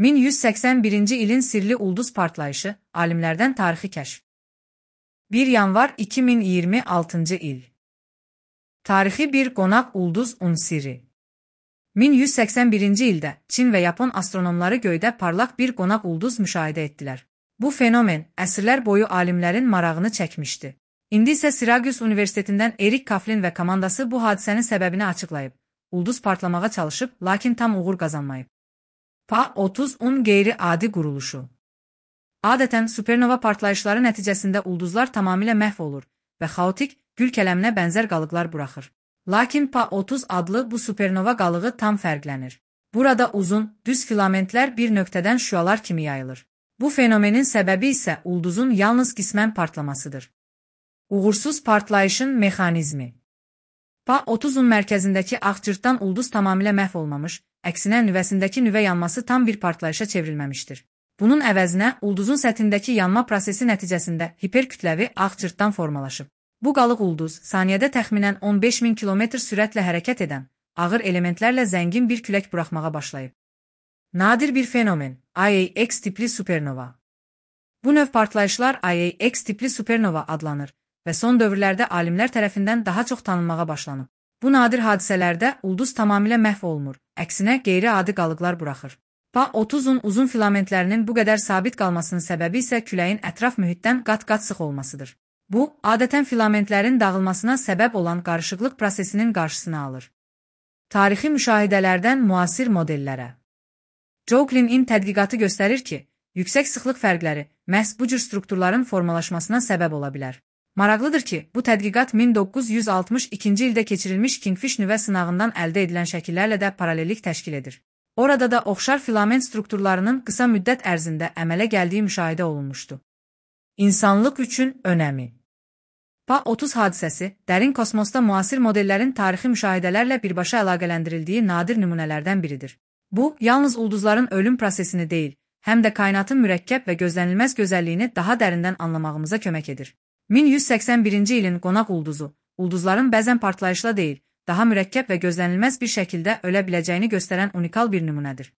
1181-ci ilin sirli ulduz partlayışı, alimlərdən tarixi kəşf. 1 yanvar 2026-cı il. Tarixi bir qonaq ulduz unsiri. 1181-ci ildə Çin və Yapon astronomları göydə parlaq bir qonaq ulduz müşahidə etdilər. Bu fenomen əsrlər boyu alimlərin marağını çəkmişdi. İndi isə Syracuse Universitetindən Erik Kaflin və komandası bu hadisənin səbəbini açıqlayıb. Ulduz partlamağa çalışıb, lakin tam uğur qazanmayıb. Pa-30'un qeyri-adi quruluşu. Adətən supernova partlayışları nəticəsində ulduzlar tamamilə məhv olur və xaotik, gül kələminə bənzər qalıqlar buraxır. Lakin Pa-30 adlı bu supernova qalığı tam fərqlənir. Burada uzun, düz filamentlər bir nöqtədən şüalar kimi yayılır. Bu fenomenin səbəbi isə ulduzun yalnız qismən partlamasıdır. Uğursuz partlayışın mexanizmi. Pa-30'un mərkəzindəki ağcırtdan ulduz tamamilə məhv olmamış, əksinə nüvəsindəki nüvə yanması tam bir partlayışa çevrilməmişdir. Bunun əvəzinə ulduzun səthindəki yanma prosesi nəticəsində hiperkütləvi ağcırtdan formalaşıb. Bu qalıq ulduz saniyədə təxminən 15.000 km sürətlə hərəkət edən, ağır elementlərlə zəngin bir külək buraxmağa başlayıb. Nadir bir fenomen, IAX tipli supernova. Bu növ partlayışlar IAX tipli supernova adlanır və son dövrlərdə alimlər tərəfindən daha çox tanınmağa başlanıb. Bu nadir hadisələrdə ulduz tamamilə məhv olmur, əksinə qeyri-adi qalıqlar buraxır. Pa-30'un uzun filamentlərinin bu qədər sabit qalmasının səbəbi isə küləyin ətraf mühitdən qat-qat sıx olmasıdır. Bu, adətən filamentlərin dağılmasına səbəb olan qarışıqlıq prosesinin qarşısını alır. Tarixi müşahidələrdən müasir modellərə. Jouklin'in tədqiqatı göstərir ki, yüksək sıxlıq fərqləri məhz bu cür strukturların formalaşmasına səbəb ola bilər. Maraqlıdır ki, bu tədqiqat 1962-ci ildə keçirilmiş Kingfish nüvə sınağından əldə edilən şəkillərlə də paralellik təşkil edir. Orada da oxşar filament strukturlarının qısa müddət ərzində əmələ gəldiyi müşahidə olunmuşdu. İnsanlıq üçün önəmi. Pa-30 hadisəsi, dərin kosmosda müasir modellərin tarixi müşahidələrlə birbaşa əlaqələndirildiyi nadir nümunələrdən biridir. Bu, yalnız ulduzların ölüm prosesini deyil, həm də kainatın mürəkkəb və gözlənilməz gözəlliyini daha dərindən anlamağımıza kömək edir. 1181-ci ilin qonaq ulduzu, ulduzların bəzən partlayışla deyil, daha mürəkkəb və gözlənilməz bir şəkildə ölə biləcəyini göstərən unikal bir nümunədir.